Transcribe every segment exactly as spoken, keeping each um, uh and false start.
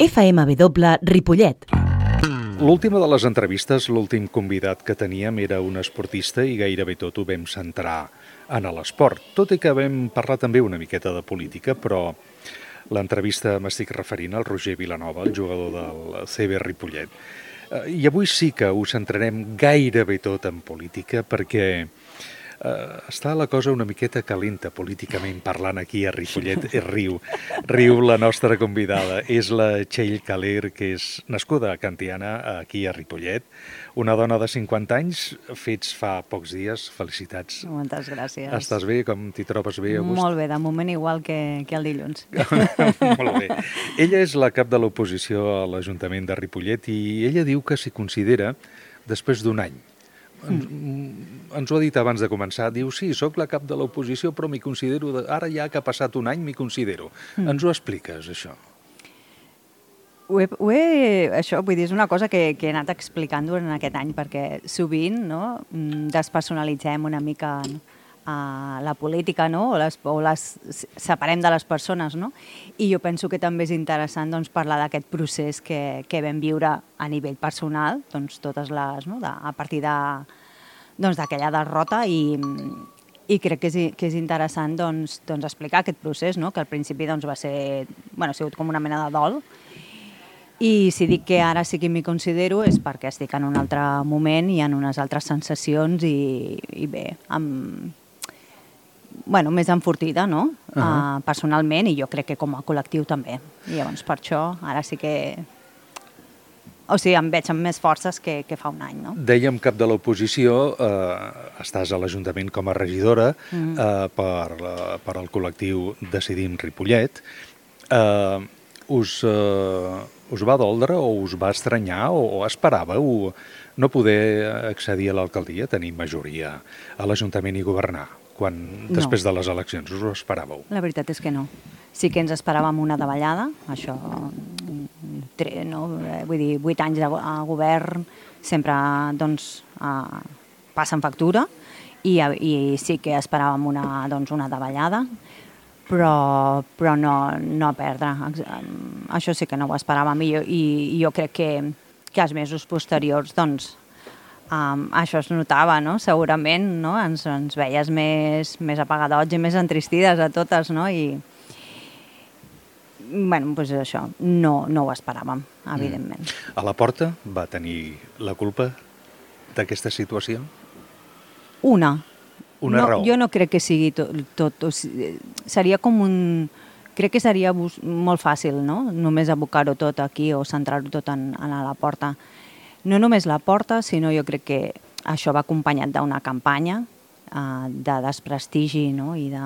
F M W Ripollet. L'última de les entrevistes, l'últim convidat que teníem era un esportista i gairebé tot ho vam centrar en l'esport. Tot i que vam parlar també una miqueta de política, però l'entrevista m'estic referint al Roger Vilanova, el jugador del C B Ripollet. I avui sí que ho centrarem gairebé tot en política perquè Uh, està la cosa una miqueta calenta políticament parlant aquí a Ripollet. Riu, riu la nostra convidada. És la Txell Caler, que és nascuda a Can Tiana, aquí a Ripollet. Una dona de cinquanta anys, fets fa pocs dies. Felicitats. Moltes gràcies. Estàs bé? Com t'hi trobes bé, August? Molt bé, de moment igual que, que el dilluns. Molt bé. Ella és la cap de l'oposició a l'Ajuntament de Ripollet i ella diu que s'hi considera després d'un any. Ens, ens ho ha dit abans de començar, diu, sí, sóc la cap de l'oposició, però m'hi considero, de... ara ja que ha passat un any, m'hi considero. Mm. Ens ho expliques, això? Ho he, ho he, això, vull dir, és una cosa que, que he anat explicant durant aquest any, perquè sovint no, despersonalitzem una mica uh, la política, no? o, les, o les separem de les persones, no? I jo penso que també és interessant doncs, parlar d'aquest procés que, que vam viure a nivell personal, doncs, totes les, no? de, a partir de, doncs, d'aquella derrota i, i crec que és, que és interessant doncs, doncs, explicar aquest procés, no? que al principi doncs, va ser, bueno, ha sigut com una mena de dol. I si dic que ara sí que m'hi considero és perquè estic en un altre moment i en unes altres sensacions i, i bé, amb, bueno, més enfortida, no? Uh -huh. uh, personalment, i jo crec que com a col·lectiu també. I llavors per això ara sí que... O sigui, em veig amb més forces que, que fa un any, no? Dèiem cap de l'oposició, eh, estàs a l'Ajuntament com a regidora mm. eh, per, per al col·lectiu Decidim Ripollet. Eh, us, eh, us va doldre o us va estranyar o, o esperàveu no poder accedir a l'alcaldia, tenir majoria a l'Ajuntament i governar? Quan, després no. de les eleccions, us ho esperàveu? La veritat és que no. Sí que ens esperàvem una davallada, això, no? Vull dir, vuit anys de govern sempre doncs, uh, passen factura i, i sí que esperàvem una, doncs, una davallada, però, però no, no perdre. Això sí que no ho esperàvem i jo, i, i jo crec que, que els mesos posteriors doncs, Um, això es notava, no? Segurament, no? Ens, ens veies més, més apagadots i més entristides a totes, no? I, bueno, doncs això, no, no ho esperàvem, evidentment. Mm. A la Porta va tenir la culpa d'aquesta situació? Una. Una no, raó? Jo no crec que sigui tot, tot o sigui, seria com un... Crec que seria molt fàcil, no? Només abocar-ho tot aquí o centrar-ho tot en, en la Porta. No només la Porta, sinó jo crec que això va acompanyat d'una campanya eh, de desprestigi, no? I de,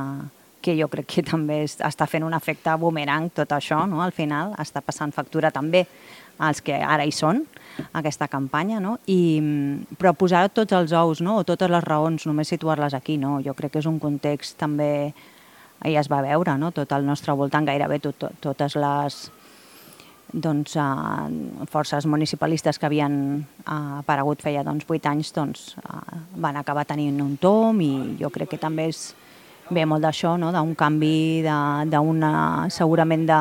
que jo crec que també està fent un efecte boomerang tot això, no? Al final està passant factura també als que ara hi són, aquesta campanya, no? I, però posar tots els ous, no? O totes les raons, només situar-les aquí, no? Jo crec que és un context també, ja es va veure, no? Tot al nostre voltant, gairebé tot, tot, totes les... doncs, uh, forces municipalistes que havien uh, aparegut feia doncs, vuit anys doncs, uh, van acabar tenint un tom i jo crec que també és bé molt d'això, no? D'un canvi, d'una, segurament de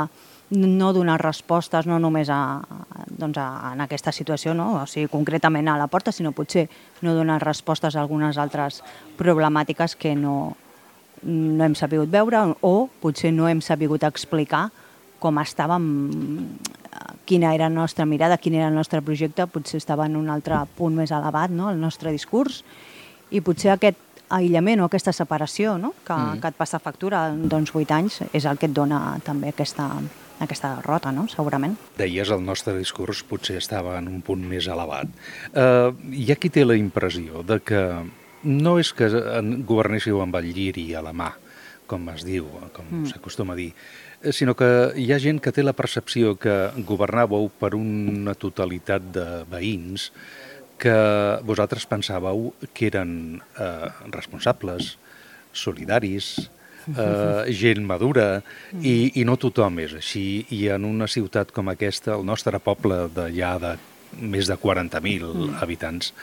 no donar respostes no només a, doncs, a, en aquesta situació, no? O sigui, concretament a la Porta, sinó potser no donar respostes a algunes altres problemàtiques que no, no hem sabut veure o potser no hem sabut explicar com estàvem, quina era la nostra mirada, quin era el nostre projecte, potser estava en un altre punt més elevat, no?, el nostre discurs, i potser aquest aïllament o aquesta separació, no?, que, mm. que et passa factura doncs vuit anys, és el que et dona també aquesta, aquesta derrota, no?, segurament. Deies, el nostre discurs potser estava en un punt més elevat. Uh, hi ha qui té la impressió de que no és que governéssiu amb el lliri a la mà, com es diu, com mm. s'acostuma a dir, sinó que hi ha gent que té la percepció que governàveu per una totalitat de veïns que vosaltres pensàveu que eren eh, responsables, solidaris, eh, gent madura, i, i no tothom és així. I en una ciutat com aquesta, el nostre poble de ja de més de quaranta mil mm. habitants,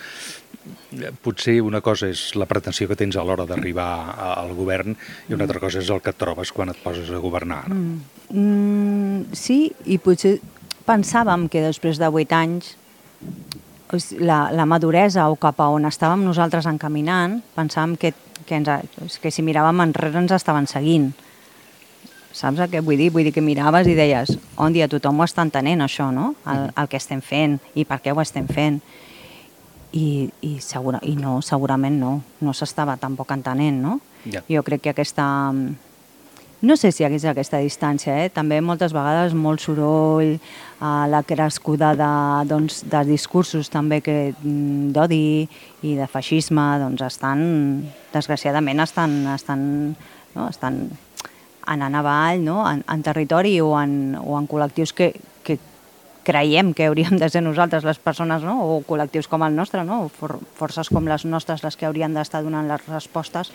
potser una cosa és la pretensió que tens a l'hora d'arribar al govern i una altra cosa és el que et trobes quan et poses a governar. Mm. Mm, sí, i potser pensàvem que després de vuit anys la, la maduresa o cap a on estàvem nosaltres encaminant, pensàvem que, que, ens, que si miràvem enrere ens estaven seguint. Saps què vull dir? Vull dir que miraves i deies, on dia tothom ho està entenent això, no? El, el que estem fent i per què ho estem fent. I, i, segura, i no, segurament no, no s'estava tampoc entenent, no? Ja. Jo crec que aquesta... No sé si hi hagués aquesta distància, eh? També moltes vegades molt soroll, eh, la crescuda de, doncs, de discursos també que d'odi i de feixisme, doncs estan, desgraciadament estan, estan, no? estan anant avall, no? en, en territori o en, o en col·lectius que, que creiem que hauríem de ser nosaltres les persones, no? O col·lectius com el nostre, no? For, forces com les nostres les que haurien d'estar donant les respostes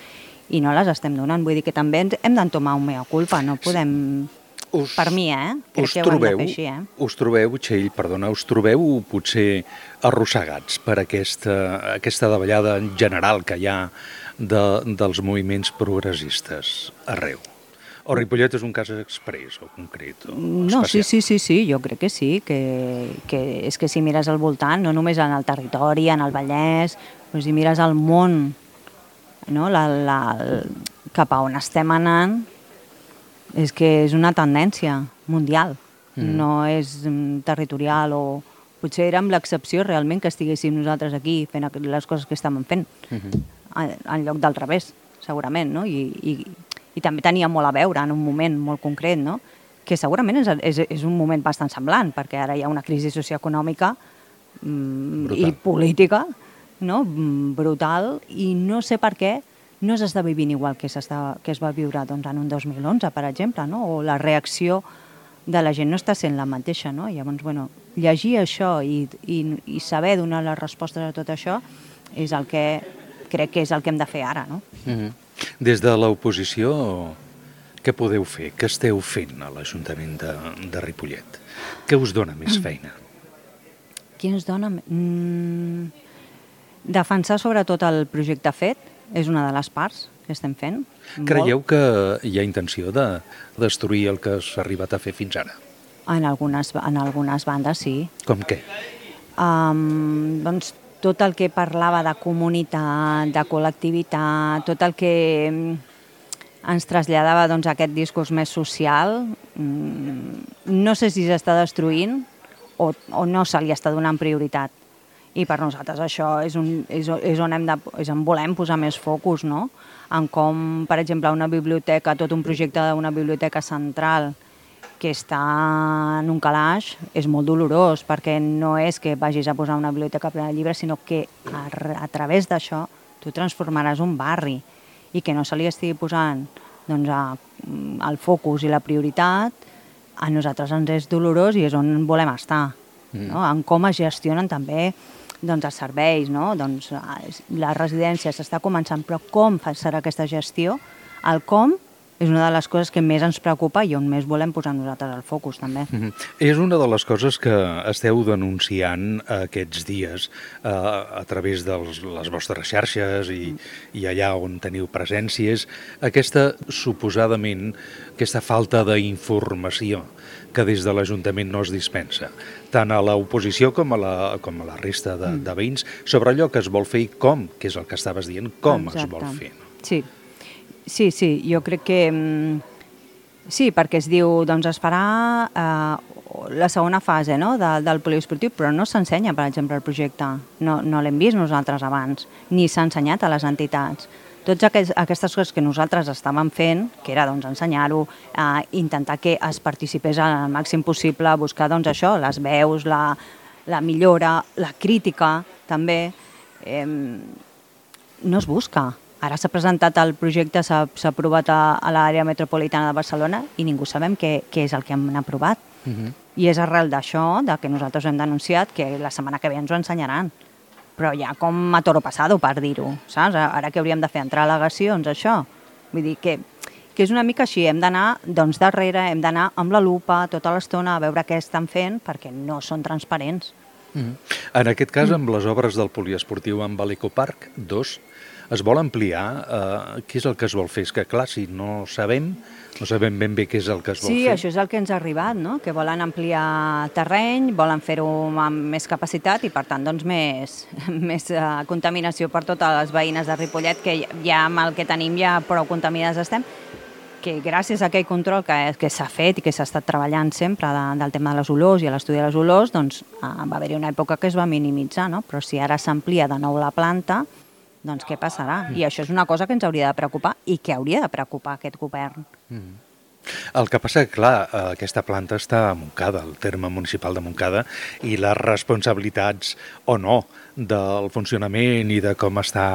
i no les estem donant. Vull dir que també hem d'entomar un mea culpa, no podem... Us, per mi, eh? Crec que ho hem de fer així, eh? Us trobeu, Txell, perdona, us trobeu potser arrossegats per aquesta, aquesta davallada en general que hi ha de, dels moviments progressistes arreu? O Ripollet és un cas express o concret o no, especial? Sí, sí, sí, sí, jo crec que sí, que, que és que si mires al voltant, no només en el territori, en el Vallès, però si mires al món, no? la, la, cap a on estem anant, és que és una tendència mundial, mm. no és territorial o... Potser érem l'excepció realment que estiguéssim nosaltres aquí fent les coses que estàvem fent, mm-hmm. en, en lloc del revés, segurament, no? I, i, i també tenia molt a veure en un moment molt concret, no? Que segurament és, és, és un moment bastant semblant, perquè ara hi ha una crisi socioeconòmica mm, i política, no? brutal, i no sé per què no s'està vivint igual que, que es va viure doncs, en un dos mil onze, per exemple, no? O la reacció de la gent no està sent la mateixa, no? Llavors, bueno, llegir això i, i, i saber donar les respostes a tot això és el que crec que és el que hem de fer ara, no? Mm-hmm. Des de l'oposició, què podeu fer? Què esteu fent a l'Ajuntament de, de Ripollet? Què us dona més feina? Què ens dona? Mm, defensar sobretot el projecte fet és una de les parts que estem fent. Creieu que hi ha intenció de destruir el que s'ha arribat a fer fins ara? En algunes, en algunes bandes, sí. Com què? Um, doncs tot el que parlava de comunitat, de col·lectivitat, tot el que ens traslladava doncs, aquest discurs més social, no sé si s'està destruint o, o no se li està donant prioritat. I per nosaltres això és, un, és, és, on hem de, és on volem posar més focus, no? En com, per exemple, una biblioteca, tot un projecte d'una biblioteca central que està en un calaix, és molt dolorós, perquè no és que vagis a posar una biblioteca plena de llibres, sinó que a, a través d'això tu transformaràs un barri i que no se li estigui posant doncs, a, el focus i la prioritat, a nosaltres ens és dolorós i és on volem estar, mm. no? En com es gestionen també doncs, els serveis, no? Doncs, la residència s'està començant, però com serà aquesta gestió? El com és una de les coses que més ens preocupa i on més volem posar nosaltres el focus, també. Mm-hmm. És una de les coses que esteu denunciant aquests dies eh, a través de les vostres xarxes i, i allà on teniu presències, aquesta, suposadament, aquesta falta d'informació que des de l'Ajuntament no es dispensa, tant a l'oposició com a la, com a la resta de, de veïns, sobre allò que es vol fer i com, que és el que estaves dient, com Exacte. Es vol fer. Sí. Sí, sí, jo crec que... Sí, perquè es diu, doncs es farà eh, la segona fase, no?, de, del poliesportiu, però no s'ensenya, per exemple, el projecte. No, no l'hem vist nosaltres abans, ni s'ha ensenyat a les entitats. Totes aquests, aquestes coses que nosaltres estàvem fent, que era doncs, ensenyar-ho, eh, intentar que es participés al màxim possible, buscar doncs, això, les veus, la, la millora, la crítica, també, eh, no es busca. Ara s'ha presentat el projecte, s'ha aprovat a, a l'àrea metropolitana de Barcelona i ningú sabem què, què és el que hem aprovat. Uh-huh. I és arrel d'això, de que nosaltres hem denunciat, que la setmana que ve ens ho ensenyaran. Però ja com a toro passado, per dir-ho, saps? Ara que hauríem de fer entrar al·legacions, això. Vull dir que, que és una mica així, hem d'anar doncs, darrere, hem d'anar amb la lupa tota l'estona a veure què estan fent, perquè no són transparents. Uh-huh. En aquest cas, amb les obres del poliesportiu amb l'Ecoparc dos, es vol ampliar, eh, què és el que es vol fer? És que, clar, si no sabem, no sabem ben bé què és el que es vol Sí, fer. això és el que ens ha arribat, no? Que volen ampliar terreny, volen fer-ho amb més capacitat i, per tant, doncs, més, més uh, contaminació per totes les veïnes de Ripollet, que ja amb el que tenim ja prou contaminades estem, que gràcies a aquell control que, que s'ha fet i que s'ha estat treballant sempre de, del tema de les olors i a l'estudi de les olors, doncs uh, va haver-hi una època que es va minimitzar, no? Però si ara s'amplia de nou la planta, doncs què passarà? I això és una cosa que ens hauria de preocupar i que hauria de preocupar aquest govern. Mm. El que passa, clar, aquesta planta està a Montcada, el terme municipal de Montcada, i les responsabilitats o no del funcionament i de com està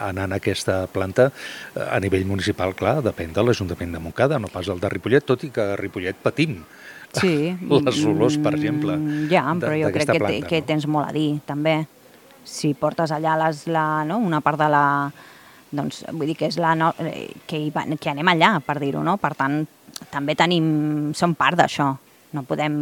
anant aquesta planta a nivell municipal, clar, depèn de l'Ajuntament de Montcada, no pas el de Ripollet, tot i que a Ripollet patim sí. les olors, per exemple. Ja, però jo crec que, planta, que no? tens molt a dir, també. Si portes allà les, la, no? una part de la... Doncs vull dir que és la no, que, hi va, que anem allà, per dir-ho, no? Per tant, també tenim, som part d'això. No podem...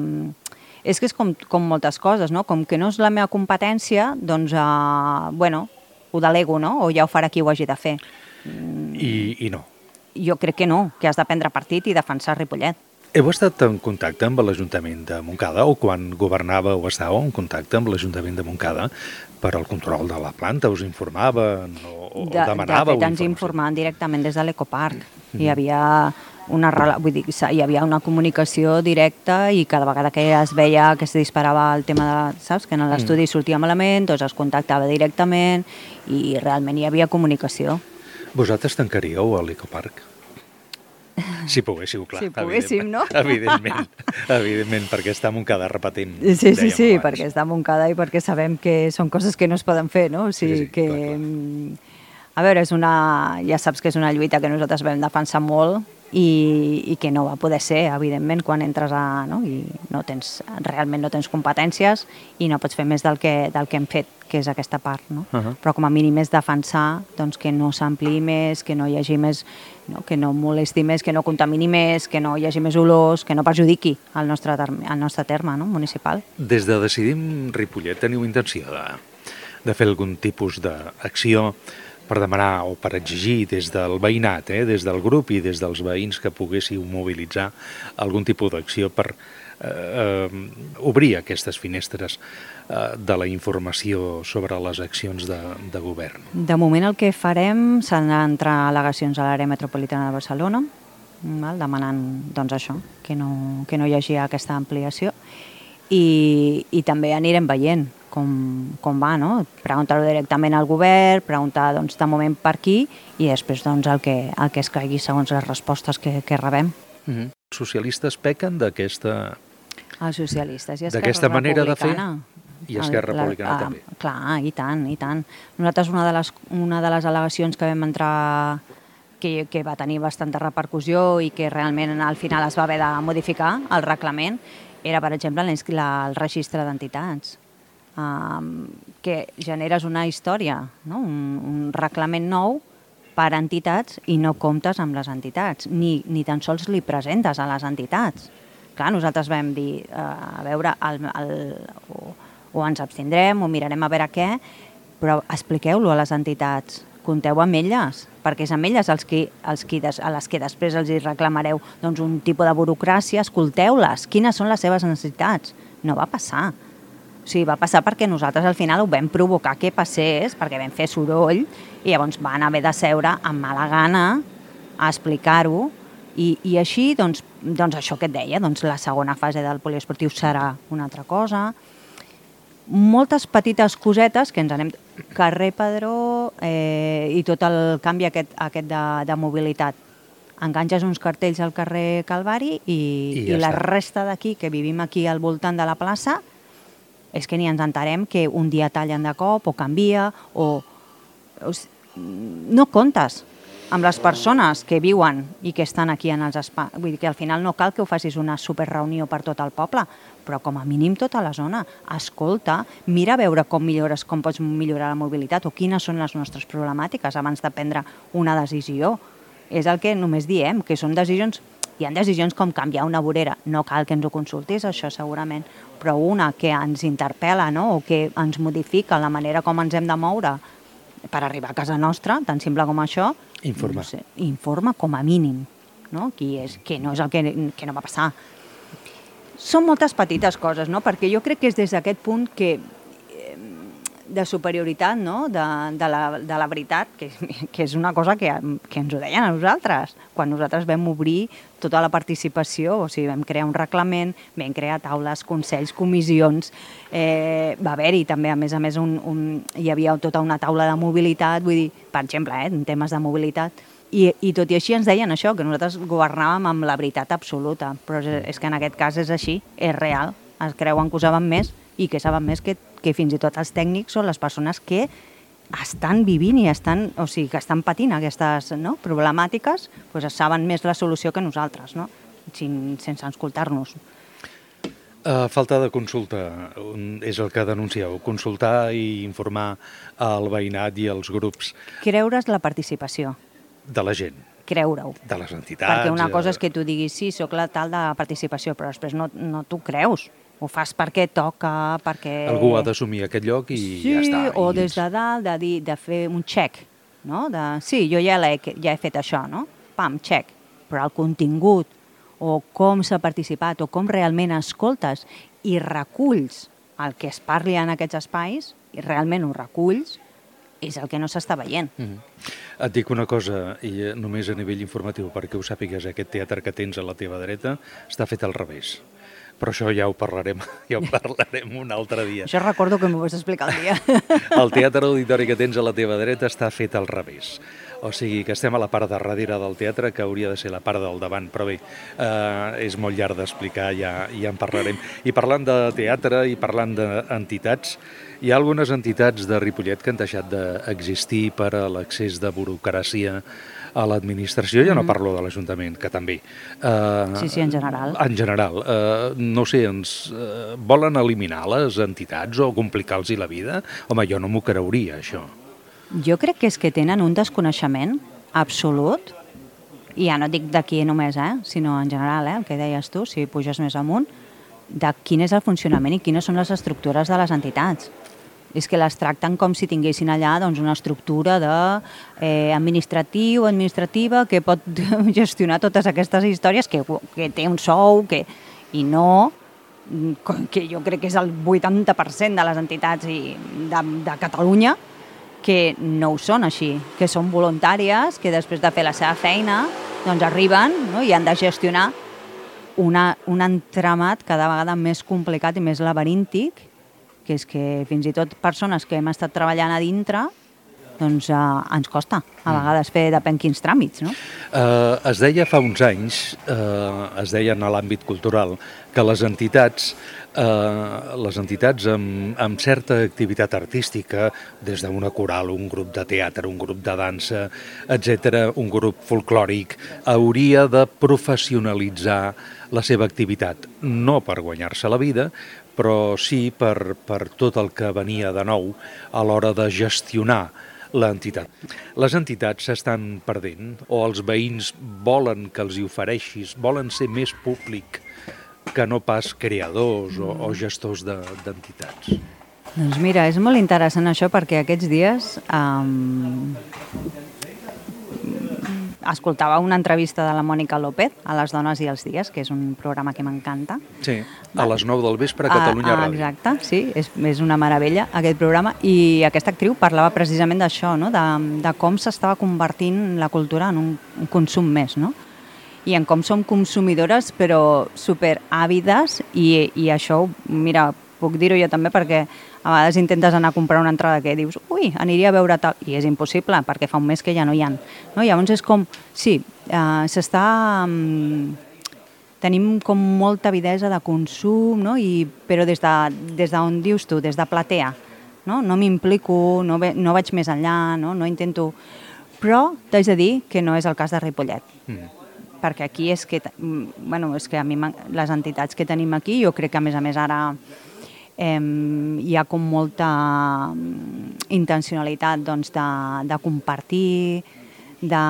És que és com, com moltes coses, no? Com que no és la meva competència, doncs, uh, bueno, ho delego, no? O ja ho farà qui ho hagi de fer. I, i no. Jo crec que no, que has de prendre partit i defensar Ripollet. Heu estat en contacte amb l'Ajuntament de Montcada o quan governava o estàveu en contacte amb l'Ajuntament de Montcada per al control de la planta? Us informaven o, o de, demanàveu de fet, ens informació? informaven directament des de l'Ecoparc. Mm-hmm. Hi havia una, vull dir, hi havia una comunicació directa i cada vegada que es veia que es disparava el tema de, saps, que en l'estudi mm. sortia malament, doncs es contactava directament i realment hi havia comunicació. Vosaltres tancaríeu a l'Ecoparc? Si poguéssiu, clar. Si poguéssim, no? Evidentment, evidentment, perquè està a Montcada repetint. Sí, sí, sí, perquè està a Montcada i perquè sabem que són coses que no es poden fer, no? O sigui sí, sí, que... clar, clar. A veure, és una... ja saps que és una lluita que nosaltres vam defensar molt i, i que no va poder ser, evidentment, quan entres a... No? I no tens, realment no tens competències i no pots fer més del que, del que hem fet, que és aquesta part, no? Uh -huh. Però com a mínim és defensar doncs, que no s'ampliï més, que no hi hagi més, no? Que no molesti més, que no contamini més, que no hi hagi més olors, que no perjudiqui el nostre, el nostre terme, no? Municipal. Des de Decidim Ripollet teniu intenció de, de fer algun tipus d'acció per demanar o per exigir des del veïnat, eh, des del grup i des dels veïns que poguéssiu mobilitzar algun tipus d'acció per eh, eh, obrir aquestes finestres eh, de la informació sobre les accions de, de govern? De moment el que farem serà entrar al·legacions a l'àrea metropolitana de Barcelona, val, demanant doncs, això, que no, que no hi hagi aquesta ampliació i, i també anirem veient com, com va, no? Preguntar-ho directament al govern, preguntar doncs, de moment per aquí i després doncs, el, que, el que es caigui segons les respostes que, que rebem. Mm-hmm. Els socialistes pequen d'aquesta... Els socialistes i Esquerra d'aquesta manera de fer? Republicana. I Esquerra El, Republicana la, també. Ah, clar, i tant, i tant. Nosaltres una de les, una de les al·legacions que vam entrar que, que va tenir bastanta repercussió i que realment al final es va haver de modificar el reglament era, per exemple, la, el registre d'entitats. Um, que generes una història, no? un, un reglament nou per a entitats i no comptes amb les entitats, ni, ni tan sols li presentes a les entitats. Clar, nosaltres vam dir, uh, a veure, el, el, o, o ens abstindrem o mirarem a veure què, però expliqueu-lo a les entitats, compteu amb elles, perquè és amb elles els qui, els qui des, a les que després els hi reclamareu doncs, un tipus de burocràcia, escolteu-les, quines són les seves necessitats. No va passar. O sigui, va passar perquè nosaltres al final ho vam provocar que passés, perquè vam fer soroll, i llavors van haver de seure amb mala gana a explicar-ho, i, i així, doncs, doncs això que et deia, doncs la segona fase del poliesportiu serà una altra cosa. Moltes petites cosetes que ens anem... Carrer Pedró eh, i tot el canvi aquest, aquest de, de mobilitat. Enganxes uns cartells al carrer Calvari i, I, ja i la resta d'aquí, que vivim aquí al voltant de la plaça, és que ni ens entarem que un dia tallen de cop o canvia o... o no comptes amb les persones que viuen i que estan aquí en els espais. Vull dir que al final no cal que ho facis una superreunió per tot el poble, però com a mínim tota la zona. Escolta, mira a veure com millores, com pots millorar la mobilitat o quines són les nostres problemàtiques abans de prendre una decisió. És el que només diem, que són decisions... Hi ha decisions com canviar una vorera. No cal que ens ho consultis, això segurament, però una que ens interpel·la, no? O que ens modifica la manera com ens hem de moure per arribar a casa nostra, tan simple com això. Informar. No sé, informa com a mínim, no? Qui és, que no és el que, que no va passar. Són moltes petites coses, no? Perquè jo crec que és des d'aquest punt que de superioritat, no? de, de, la, de la veritat, que, que és una cosa que, que ens ho deien a nosaltres. Quan nosaltres vam obrir tota la participació, o sigui, vam crear un reglament, vam crear taules, consells, comissions, eh, va haver-hi també, a més a més, un, un, hi havia tota una taula de mobilitat, vull dir, per exemple, eh, en temes de mobilitat, i, i tot i així ens deien això, que nosaltres governàvem amb la veritat absoluta, però és, és que en aquest cas és així, és real, es creuen que ho saben més i que saben més que que fins i tot els tècnics són les persones que estan vivint i estan, o sigui, que estan patint aquestes, no, problemàtiques, doncs saben més la solució que nosaltres, no? Sin, sense escoltar-nos. Uh, falta de consulta és el que denuncieu, consultar i informar al veïnat i als grups. Creure's la participació. De la gent. Creure-ho. De les entitats. Perquè una cosa és que tu diguis, sí, soc la tal de participació, però després no, no t'ho creus. Ho fas perquè toca, perquè... Algú ha d'assumir aquest lloc i sí, ja està. O I... des de dalt de, dir, de fer un check, no? De, sí, jo ja, he, ja he fet això, no? Pam, check. Però el contingut, o com s'ha participat, o com realment escoltes i reculls el que es parli en aquests espais, i realment ho reculls, és el que no s'està veient. Mm-hmm. Et dic una cosa, i només a nivell informatiu, perquè ho sàpigues, aquest teatre que tens a la teva dreta està fet al revés. Però això ja ho parlarem, ja ho parlarem un altre dia. Això recordo que m'ho vas explicar el dia. El teatre auditori que tens a la teva dreta està fet al revés. O sigui que estem a la part de darrere del teatre, que hauria de ser la part del davant, però bé, eh, és molt llarg d'explicar, ja, ja en parlarem. I parlant de teatre i parlant d'entitats, hi ha algunes entitats de Ripollet que han deixat d'existir per a l'accés de burocràcia a l'administració, ja no parlo de l'Ajuntament, que també. Uh, sí, sí, en general. En general. Uh, no sé, ens uh, volen eliminar les entitats o complicar-los la vida? Home, jo no m'ho creuria, això. Jo crec que és que tenen un desconeixement absolut, i ja no dic d'aquí només, eh, sinó en general, eh, el que deies tu, si puges més amunt, de quin és el funcionament i quines són les estructures de les entitats. És que les tracten com si tinguessin allà doncs, una estructura de, eh, administratiu, administrativa, que pot gestionar totes aquestes històries, que, que té un sou, que, i no, que jo crec que és el vuitanta per cent de les entitats i de, de Catalunya, que no ho són així, que són voluntàries, que després de fer la seva feina doncs arriben, no? I han de gestionar una, un entramat cada vegada més complicat i més laberíntic, que és que fins i tot persones que hem estat treballant a dintre doncs eh, ens costa a vegades fer depèn quins tràmits, no? Uh, es deia fa uns anys, uh, es deia en l'àmbit cultural, que les entitats, uh, les entitats amb, amb certa activitat artística, des d'una coral, un grup de teatre, un grup de dansa, etcètera, un grup folclòric, hauria de professionalitzar la seva activitat, no per guanyar-se la vida, però sí per, per tot el que venia de nou a l'hora de gestionar l'entitat. Les entitats s'estan perdent, o els veïns volen que els hi ofereixis, volen ser més públic que no pas creadors o, o gestors d'entitats. Doncs mira, és molt interessant això perquè aquests dies um, escoltava una entrevista de la Mònica López a Les dones i els dies, que és un programa que m'encanta. Sí, a les nou del vespre a Catalunya ah, Ràdio. Exacte, sí, és, és una meravella aquest programa, i aquesta actriu parlava precisament d'això, no? de, de com s'estava convertint la cultura en un, un consum més, no? I en com som consumidores però superàvides, i, i això, mira, puc dir-ho jo també perquè a vegades intentes anar a comprar una entrada que dius, ui, aniria a veure tal, i és impossible perquè fa un mes que ja no hi ha. No? Llavors és com, sí, eh, s'està... Um, tenim com molta avidesa de consum, no? I, però des d'on de, des de dius tu, des de platea, no, no m'implico, no, ve, no vaig més enllà, no, no intento... Però t'haig de dir que no és el cas de Ripollet. Mm. Perquè aquí és que, bueno, és que a mi les entitats que tenim aquí, jo crec que a més a més ara eh, hi ha com molta intencionalitat doncs, de, de compartir, de,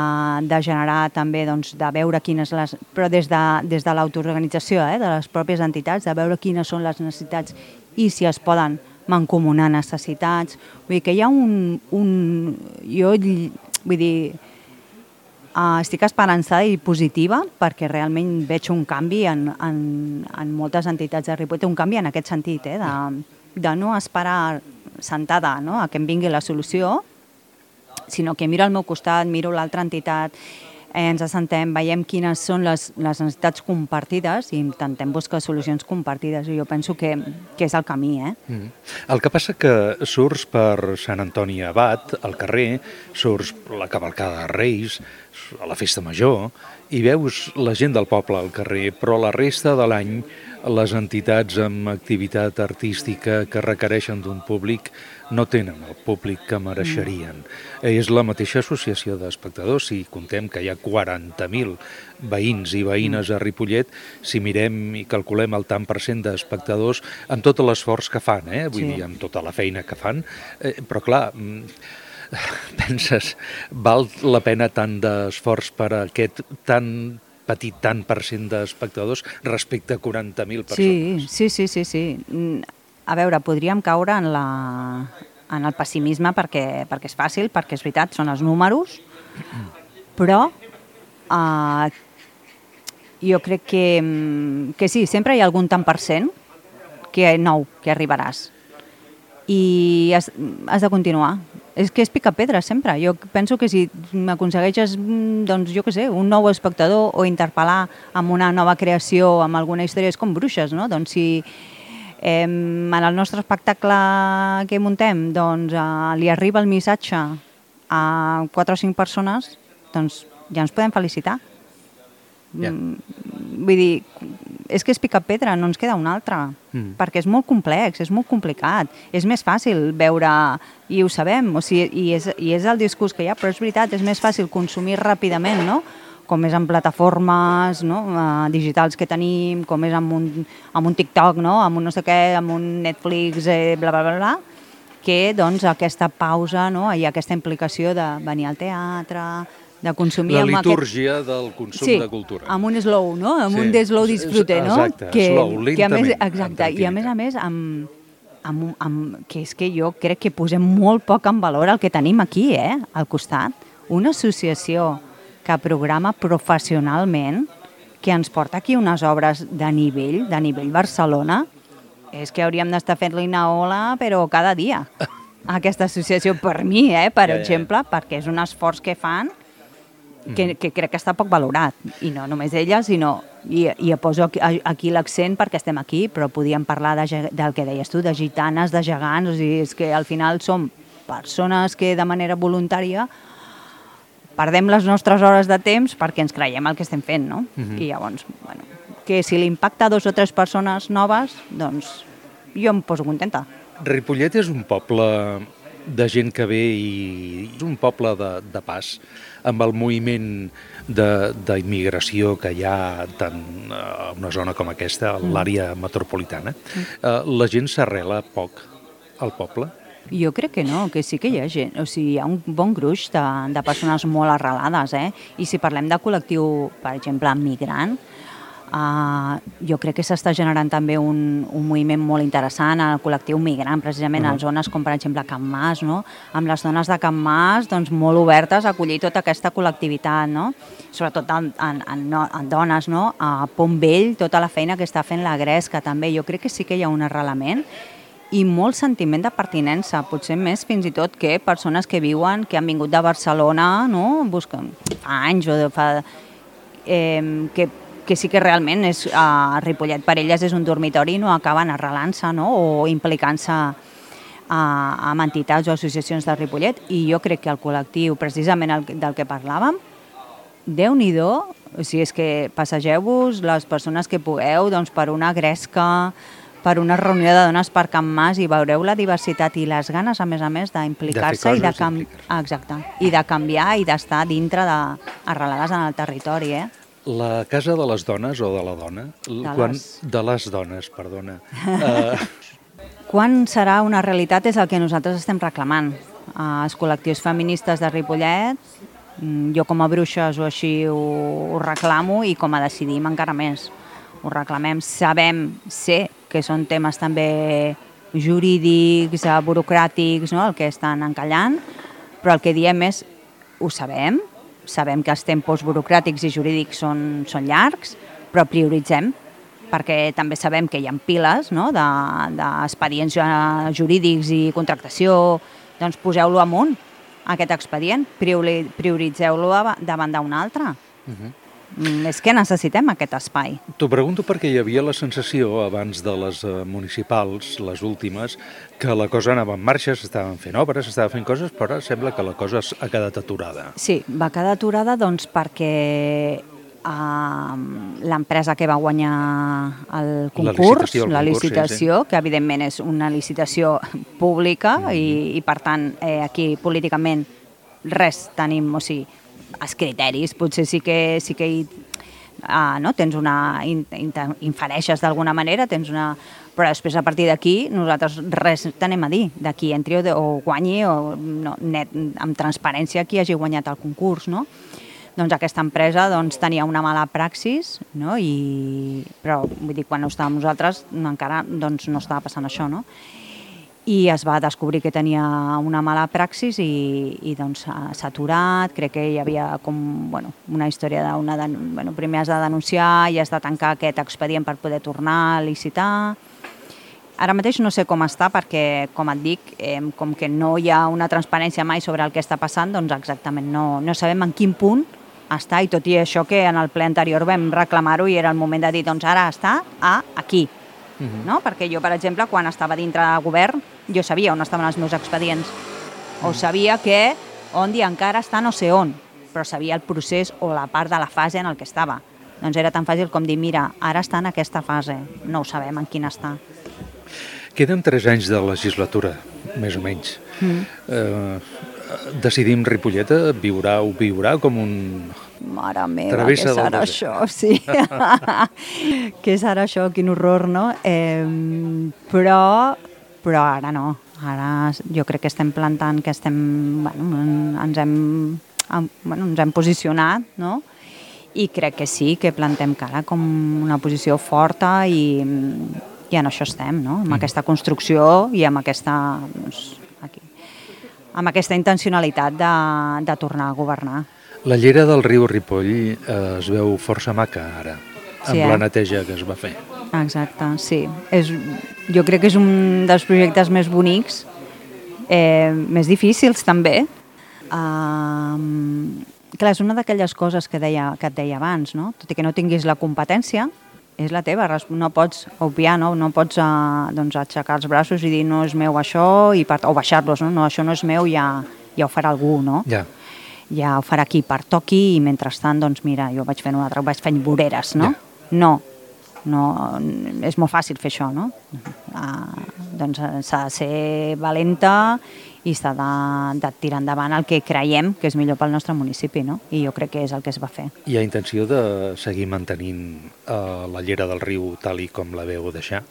de generar també, doncs, de veure quines les... Però des de, des de l'autoorganització, eh, de les pròpies entitats, de veure quines són les necessitats i si es poden mancomunar necessitats. Vull dir que hi ha un... un jo, vull dir, uh, estic esperançada i positiva perquè realment veig un canvi en, en, en moltes entitats de Ripollet, un canvi en aquest sentit, eh, de, de no esperar sentada, no?, a que em vingui la solució, sinó que miro al meu costat, miro l'altra entitat, eh, ens assentem, veiem quines són les, les necessitats compartides i intentem buscar solucions compartides. I jo penso que, que és el camí. Eh? Mm. El que passa que surts per Sant Antoni Abat, al carrer, surts la cavalcada de Reis, a la festa major, i veus la gent del poble al carrer, però la resta de l'any les entitats amb activitat artística que requereixen d'un públic no tenen el públic que mereixerien. Mm. És la mateixa associació d'espectadors. Si contem que hi ha quaranta mil veïns i veïnes a Ripollet, si mirem i calculem el tant per cent d'espectadors, amb tot l'esforç que fan, eh? Vull sí. dir, amb tota la feina que fan, eh, però clar, penses, val la pena tant d'esforç per a aquest tan petit tant per cent d'espectadors respecte a quaranta mil persones? Sí, sí, sí, sí, sí. A veure, podríem caure en, la, en el pessimisme perquè, perquè és fàcil, perquè és veritat, són els números, però uh, jo crec que, que sí, sempre hi ha algun tant per cent que nou, que arribaràs. I has, has de continuar. És que és picar pedra sempre. Jo penso que si m'aconsegueixes, doncs, jo què sé, un nou espectador o interpel·lar amb una nova creació, amb alguna història, és com Bruixes, no? Doncs si eh, en el nostre espectacle que muntem doncs, eh, li arriba el missatge a quatre o cinc persones, doncs ja ens podem felicitar. Yeah. Vull dir, és que és picar pedra, no ens queda una altra, mm. perquè és molt complex, és molt complicat. És més fàcil veure, i ho sabem, o sigui, i, és, i és el discurs que hi ha, però és veritat, és més fàcil consumir ràpidament, no?, com és en plataformes, no?, uh, digitals que tenim, com és amb un, amb un TikTok, no?, amb un no sé què, amb un Netflix, eh, bla, bla, bla, bla, que doncs aquesta pausa, no?, i aquesta implicació de venir al teatre, de consumir... La litúrgia aquest... del consum sí, de cultura. amb un slow, no?, amb sí. un de slow disfrute, no? Exacte, que, slow, lentament. Que a més, exacte, i a més a més, amb, amb, amb, que és que jo crec que posem molt poc en valor el que tenim aquí, eh?, al costat. Una associació que programa professionalment, que ens porta aquí unes obres de nivell, de nivell Barcelona, és que hauríem d'estar fent-li una ola, però cada dia. Aquesta associació, per mi, eh, per ja, exemple, ja. perquè és un esforç que fan que, que crec que està poc valorat, i no només ella, sinó, i, i poso aquí, aquí l'accent perquè estem aquí, però podíem parlar de, del que deies tu, de gitanes, de gegants, o sigui, és que al final som persones que de manera voluntària perdem les nostres hores de temps perquè ens creiem el que estem fent, no? Uh-huh. I llavors, bueno, que si l'impacta a dos o tres persones noves, doncs jo em poso contenta. Ripollet és un poble de gent que ve i és un poble de, de pas, amb el moviment d'immigració que hi ha tant a una zona com aquesta, a l'àrea metropolitana. Mm. La gent s'arrela poc al poble? Jo crec que no, que sí que hi ha gent, o sigui, hi ha un bon gruix de, de persones molt arrelades, eh? I si parlem de col·lectiu, per exemple, migrant, Uh, jo crec que s'està generant també un, un moviment molt interessant al col·lectiu migrant, precisament uh -huh. a zones com per exemple Can Mas, no? Amb les dones de Can Mas doncs, molt obertes a acollir tota aquesta col·lectivitat, no? Sobretot en, en, en, en dones, no? A Pont Vell, tota la feina que està fent la Gresca també, jo crec que sí que hi ha un arrelament i molt sentiment de pertinença, potser més fins i tot que persones que viuen, que han vingut de Barcelona, no? Busquen fa anys o de fa... Eh, que que sí que realment és, uh, Ripollet per elles és un dormitori i no acaben arrelant-se, no? O implicant-se uh, amb entitats o associacions de Ripollet, i jo crec que el col·lectiu, precisament el, del que parlàvem, Déu-n'hi-do, o sigui, és que passegeu-vos les persones que pugueu doncs, per una gresca, per una reunió de dones per Can Mas i veureu la diversitat i les ganes, a més a més, d'implicar-se i, de cam... Exacte, i de canviar i d'estar dintre de... arrelades en el territori, eh? La Casa de les Dones, o de la Dona? De, quan... les... de les dones, perdona. uh... Quan serà una realitat és el que nosaltres estem reclamant. Uh, els col·lectius feministes de Ripollet, jo com a Bruixes o així ho, ho reclamo, i com a Decidim encara més. Ho reclamem, sabem, sé que són temes també jurídics, eh, burocràtics, no? El que estan encallant, però el que diem és, ho sabem, sabem que els tempos burocràtics i jurídics són, són llargs, però prioritzem, perquè també sabem que hi ha piles, no? d'expedients de, jurídics i contractació, doncs poseu-lo amunt, aquest expedient, prioritzeu-lo davant d'un altre. Uh-huh. És que necessitem aquest espai. T'ho pregunto perquè hi havia la sensació, abans de les municipals, les últimes, que la cosa anava en marxa, s'estaven fent obres, s'estaven fent coses, però sembla que la cosa ha quedat aturada. Sí, va quedar aturada doncs, perquè uh, l'empresa que va guanyar el concurs, la licitació, la licitació sí, sí. que evidentment és una licitació pública mm-hmm. i, i per tant eh, aquí políticament res tenim, o sigui, els criteris, potser sí que, sí que hi, uh, no? tens una, in, infereixes d'alguna manera, tens una, però després a partir d'aquí nosaltres res tenim a dir, d'aquí entri o, o guanyi o no, net, amb transparència qui hagi guanyat el concurs, no? Doncs aquesta empresa doncs, tenia una mala praxis, no? I, però vull dir, quan no estàvem nosaltres encara doncs, no estava passant això, no? I es va descobrir que tenia una mala praxis i, i doncs s'ha aturat, crec que hi havia com, bueno, una història d'una... Bueno, primer has de denunciar i has de tancar aquest expedient per poder tornar a licitar. Ara mateix no sé com està perquè, com et dic, eh, com que no hi ha una transparència mai sobre el que està passant, doncs exactament no, no sabem en quin punt està, i tot i això que en el ple anterior vam reclamar-ho i era el moment de dir, doncs ara està a aquí. Uh-huh. No? Perquè jo, per exemple, quan estava dintre del govern, jo sabia on estaven els meus expedients. O sabia que on i encara està no sé on, però sabia el procés o la part de la fase en el que estava. Doncs era tan fàcil com dir, mira, ara està en aquesta fase, no ho sabem en quina està. Queden tres anys de legislatura, més o menys. Mm. Eh, decidim Ripolleta, viurà o viurà com un... Mare meva, què serà això? Sí. Què serà això? Quin horror, no? Eh, però, però ara no. Ara jo crec que estem plantant, que estem, bueno, ens hem, bueno, ens hem posicionat, no? I crec que sí, que plantem cara com una posició forta i, i en això estem, no? Amb mm. aquesta construcció i amb aquesta, doncs, aquí, amb aquesta intencionalitat de, de tornar a governar. La llera del riu Ripoll eh, es veu força maca ara, amb sí, eh? la neteja que es va fer. Exacte, sí. És, jo crec que és un dels projectes més bonics, eh, més difícils també. Uh, clar, és una d'aquelles coses que, deia, que et deia abans, no? Tot i que no tinguis la competència, és la teva, no pots obviar, no, no pots uh, doncs, aixecar els braços i dir no és meu això, i part... o baixar-los, no? No, això no és meu, ja, ja ho farà algú, no? Ja. Ja ho farà qui pertoqui i mentrestant, doncs mira, jo vaig fent una altra, vaig fent voreres, no? Ja. No, no, és molt fàcil fer això, no? Uh, doncs s'ha de ser valenta i s'ha de, de tirar endavant el que creiem que és millor pel nostre municipi, no? I jo crec que és el que es va fer. Hi ha intenció de seguir mantenint uh, la llera del riu tal i com la veu deixar?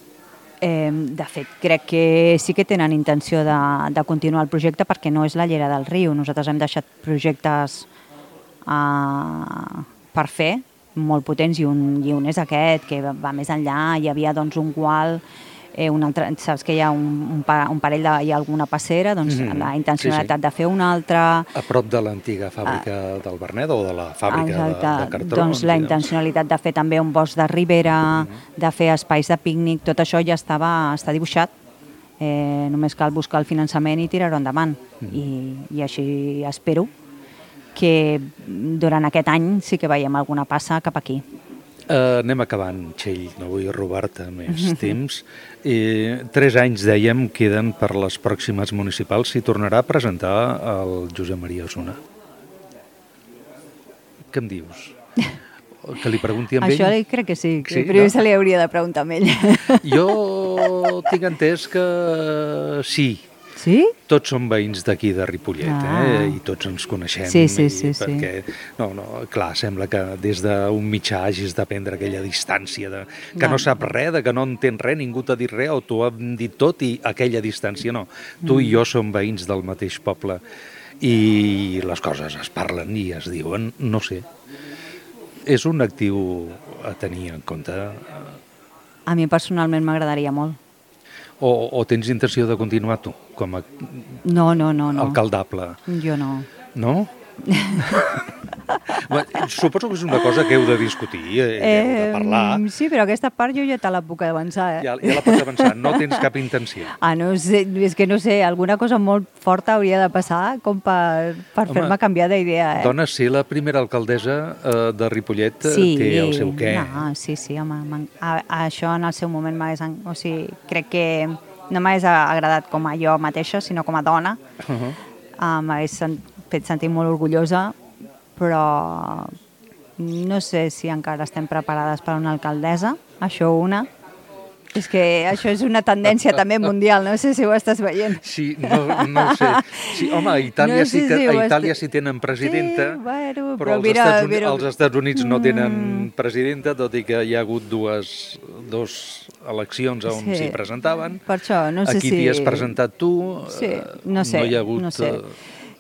Eh, de fet, crec que sí que tenen intenció de, de continuar el projecte perquè no és la llera del riu. Nosaltres hem deixat projectes uh, per fer, molt potents, i un, i un és aquest, que va més enllà. Hi havia doncs, un gual, eh, un altre, saps que hi ha un, un, pa, un parell de... hi ha alguna passera, doncs mm-hmm. la intencionalitat sí, sí. de fer una altra... A prop de l'antiga fàbrica uh, del Vernet o de la fàbrica de, de cartró? Doncs la intencionalitat de fer també un bosc de ribera, mm-hmm. de fer espais de pícnic, tot això ja estava, està dibuixat. Eh, només cal buscar el finançament i tirar-ho endavant. Mm-hmm. I, I així espero que durant aquest any sí que veiem alguna passa cap aquí. Uh, anem acabant, Txell, no vull robar-te més temps. I tres anys, dèiem, queden per les pròximes municipals. S'hi tornarà a presentar el Josep Maria Osuna. Què em dius? Que li pregunti amb ell? Això crec que sí, que sí, primer no? Se li hauria de preguntar amb ell. Jo tinc entès que sí. Sí? Tots som veïns d'aquí de Ripollet, ah. eh? I tots ens coneixem. Sí, sí, sí. Perquè, sí. No, no, clar, sembla que des d'un mitjà hagis de prendre aquella distància, de, que no. no sap res, de que no entén res, ningú t'ha dit res, o t'ho han dit tot i aquella distància no. Tu mm. i jo som veïns del mateix poble i les coses es parlen i es diuen, no sé. És un actiu a tenir en compte. A mi personalment m'agradaria molt. O, o tens intenció de continuar tu, com a No, no, no. no. alcaldable? Jo no. No? Suposo que és una cosa que heu de discutir, eh, heu de parlar. Sí, però aquesta part jo ja te la puc avançar. Eh? Ja, ja la pots avançar, no tens cap intenció. Ah, no sé, és que no sé, alguna cosa molt forta hauria de passar com per, per fer-me canviar d'idea. Eh? Dona, ser la primera alcaldessa eh, de Ripollet sí, té el seu què. No, sí, sí, home, a, a això en el seu moment m'hagués... O sigui, crec que no m'hagués agradat com a jo mateixa, sinó com a dona. Uh -huh. uh, m'hagués fet sentir molt orgullosa, però no sé si encara estem preparades per a una alcaldessa, això una. És que això és una tendència també mundial, no sé si ho estàs veient. Sí, no, no ho sé. Sí, home, a Itàlia, no sé sí, que, si a Itàlia sí tenen presidenta, sí, bueno, però, però als, mira, Estats Units, mira... als Estats Units no tenen presidenta, tot i que hi ha hagut dues, dos eleccions on s'hi sí. presentaven. Per això, no sé Aquí si... t'hi has presentat tu, sí, no, sé, no hi ha hagut... No, sé.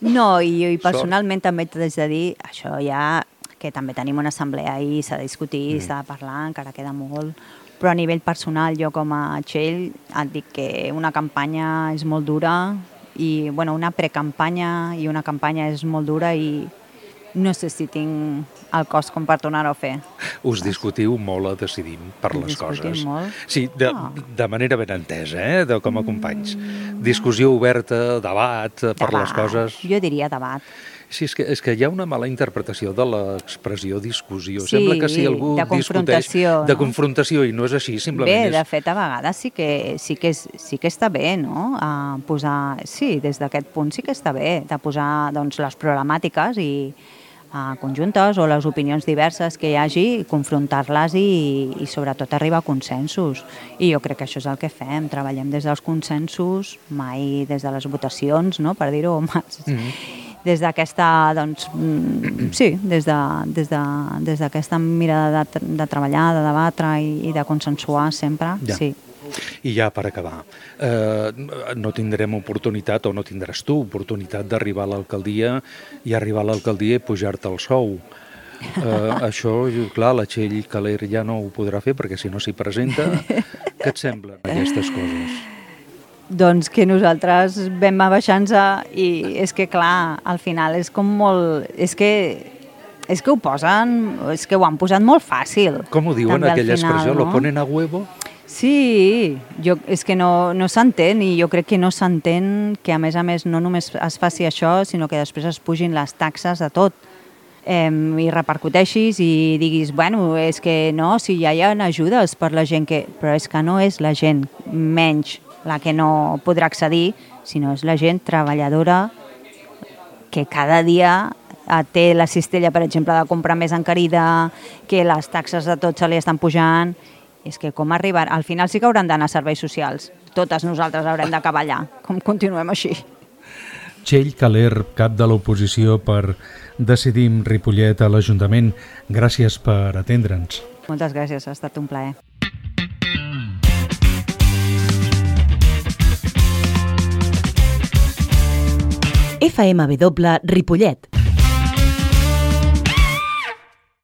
no i, i personalment sort. També t'haig de dir, això ja, que també tenim una assemblea ahir, s'ha de discutir, mm. s'ha de parlar, encara queda molt... Però a nivell personal, jo com a Txell, et dic que una campanya és molt dura i, bueno, una precampanya i una campanya és molt dura i no sé si tinc el cos com per tornar-ho a fer. Us discutiu molt a Decidim per les coses. Discutim molt? Sí, de, oh. de manera ben entesa, eh, de, com a companys. Mm. Discussió oberta, debat, debat per les coses. Jo diria debat. Sí, és que, és que hi ha una mala interpretació de l'expressió discussió. Sí, sembla que si algú de confrontació, discuteix de confrontació i no és així, simplement bé, és... Bé, de fet, a vegades sí que, sí que, és, sí que està bé, no?, a posar... Sí, des d'aquest punt sí que està bé, de posar doncs, les problemàtiques i a conjuntes o les opinions diverses que hi hagi, confrontar-les i, i sobretot arribar a consensos. I jo crec que això és el que fem, treballem des dels consensos, mai des de les votacions, no?, per dir-ho, mm-hmm. des d'aquesta, doncs, sí, des d'aquesta de, des de, des d'aquesta mirada de, de treballar, de debatre i, i de consensuar sempre, ja. Sí. I ja per acabar, eh, no tindrem oportunitat, o no tindràs tu oportunitat d'arribar a l'alcaldia i arribar a l'alcaldia i pujar-te el sou. Eh, això, clar, la Txell Caler ja no ho podrà fer perquè si no s'hi presenta. Què et semblen aquestes coses? Doncs que nosaltres vam abaixant-nos i és que, clar, al final és com molt... És que, és que ho posen... És que ho han posat molt fàcil. Com ho diuen, aquella expressió? ¿Lo ponen a huevo? Sí, jo, és que no, no s'entén i jo crec que no s'entén que a més a més no només es faci això, sinó que després es pugin les taxes a tot. Eh, i repercuteixis i diguis, bueno, és que no, si ja hi ha ajudes per la gent que... Però és que no és la gent menys la que no podrà accedir, sinó és la gent treballadora que cada dia té la cistella, per exemple, de comprar més encarida, que les taxes de tot se li estan pujant. És que com arribar... Al final sí que hauran d'anar a serveis socials. Totes nosaltres haurem d'acabar allà. Com continuem així? Txell Caler, cap de l'oposició per Decidim Ripollet a l'Ajuntament. Gràcies per atendre'ns. Moltes gràcies, ha estat un plaer. F M W Ripollet,